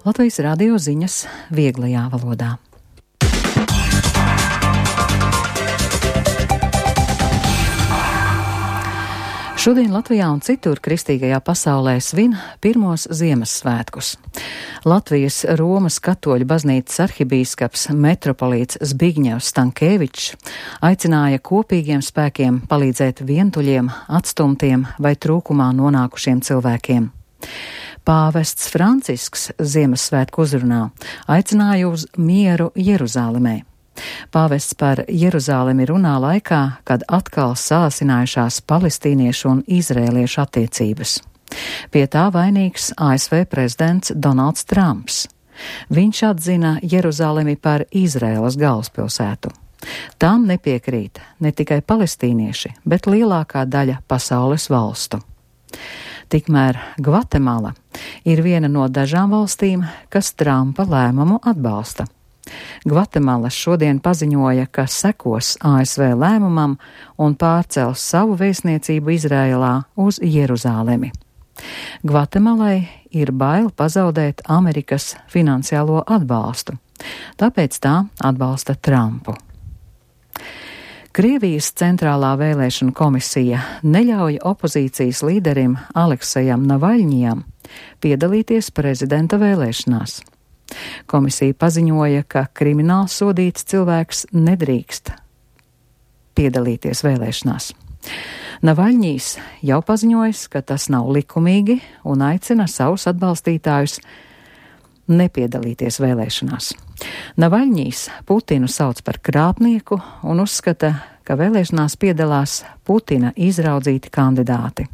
Latvijas radio ziņas vieglajā valodā. Šodien Latvijā un citur kristīgajā pasaulē svin pirmos Ziemassvētkus. Latvijas Romas katoļu baznīcas arhibīskaps metropolīts Zbigņevs Stankēvičs aicināja kopīgiem spēkiem palīdzēt vientuļiem, atstumtiem vai trūkumā nonākušiem cilvēkiem. Pāvests Francisks Ziemassvētku uzrunā aicināja uz mieru Jeruzālemē. Pāvests par Jeruzālemi runā laikā, kad atkal sāsinājušās palestīniešu un izrēliešu attiecības. Pie tā vainīgs ASV prezidents Donalds Trumps. Viņš atzina Jeruzālemi par Izraēlas galvaspilsētu. Tām nepiekrīt ne tikai palestīnieši, bet lielākā daļa pasaules valstu. Tikmēr Gvatemala ir viena no dažām valstīm, kas Trumpa lēmumu atbalsta. Gvatemala šodien paziņoja, ka sekos ASV lēmumam un pārcels savu vēstniecību Izrēlā uz Jeruzālemi. Gvatemalai ir bail pazaudēt Amerikas finansiālo atbalstu, tāpēc tā atbalsta Trumpu. Krievijas centrālā vēlēšana komisija neļauj opozīcijas līderim Aleksejam Navaļņijam piedalīties prezidenta vēlēšanās. Komisija paziņoja, ka krimināli sodīts cilvēks nedrīkst piedalīties vēlēšanās. Navaļņijs jau paziņojis, ka tas nav likumīgi un aicina savus atbalstītājus nepiedalīties vēlēšanās. Navaļņijs Putinu sauc par krāpnieku un uzskata, ka vēlēšanās piedalās Putina izraudzīti kandidāti.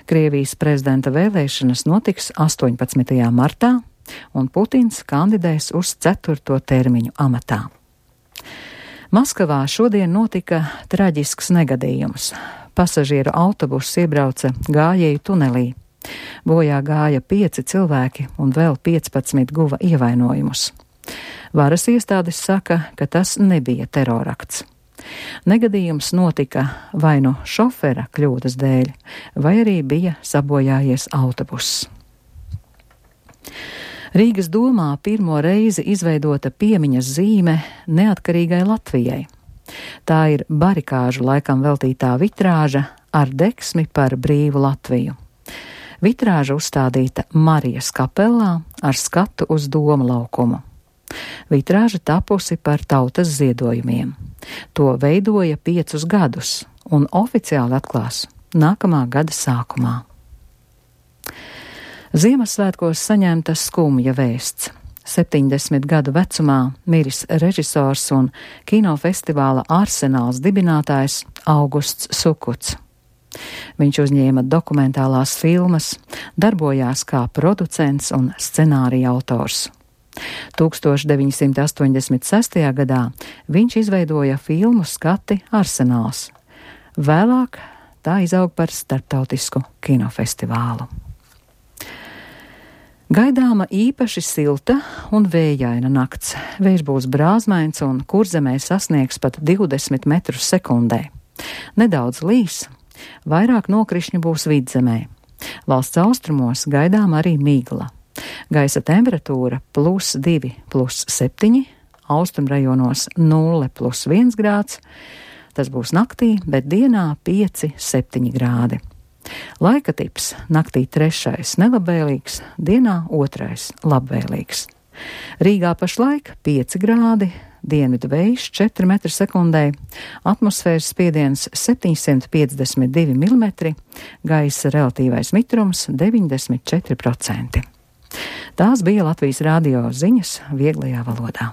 Krievijas prezidenta vēlēšanas notiks 18. martā, un Putins kandidēs uz 4. termiņu amatā. Maskavā šodien notika traģisks negadījums. Pasažieru autobuss iebrauca gājēju tunelī. Bojā gāja 5 cilvēki un vēl 15 guva ievainojumus. Varas iestādes saka, ka tas nebija terorakts. Negadījums notika vai nu šofera kļūdas dēļ, vai arī bija sabojājies autobuss. Rīgas domā pirmo reizi izveidota piemiņas zīme neatkarīgai Latvijai. Tā ir barikāžu laikam veltītā vitrāža ar deksmi par brīvu Latviju. Vitrāža uzstādīta Marijas kapelā ar skatu uz Doma laukumu. Vitrāža tapusi par tautas ziedojumiem. To veidoja 5 gadus un oficiāli atklās nākamā gada sākumā. Ziemassvētkos saņemta skumja vēsts. 70 gadu vecumā miris režisors un kinofestivāla Arsenāls dibinātājs Augusts Sukuts. Viņš uzņēma dokumentālās filmas, darbojās kā producents un scenārija autors. 1986. gadā viņš izveidoja filmu Skati Arsenāls. Vēlāk tā izaug par starptautisku kinofestivālu. Gaidāma īpaši silta un vējaina nakts. Vējš būs brāzmains un Kurzemē sasniegs pat 20 metrus sekundē. Nedaudz līs, vairāk nokrišņu būs Vidzemē. Valsts austrumos gaidām arī migla. Gaisa temperatūra +2, +7, austrumrajonos 0, +1 grāds. Tas būs naktī, bet dienā 5, 7 grādi. Laika tips naktī 3. nelabvēlīgs, dienā 2. labvēlīgs. Rīgā pašlaik 5 grādi, dienvidu vējš 4 metri sekundē, atmosfēras spiediens 752 mm, gaisa relatīvais mitrums 94%. Tās bija Latvijas radio ziņas vieglajā valodā.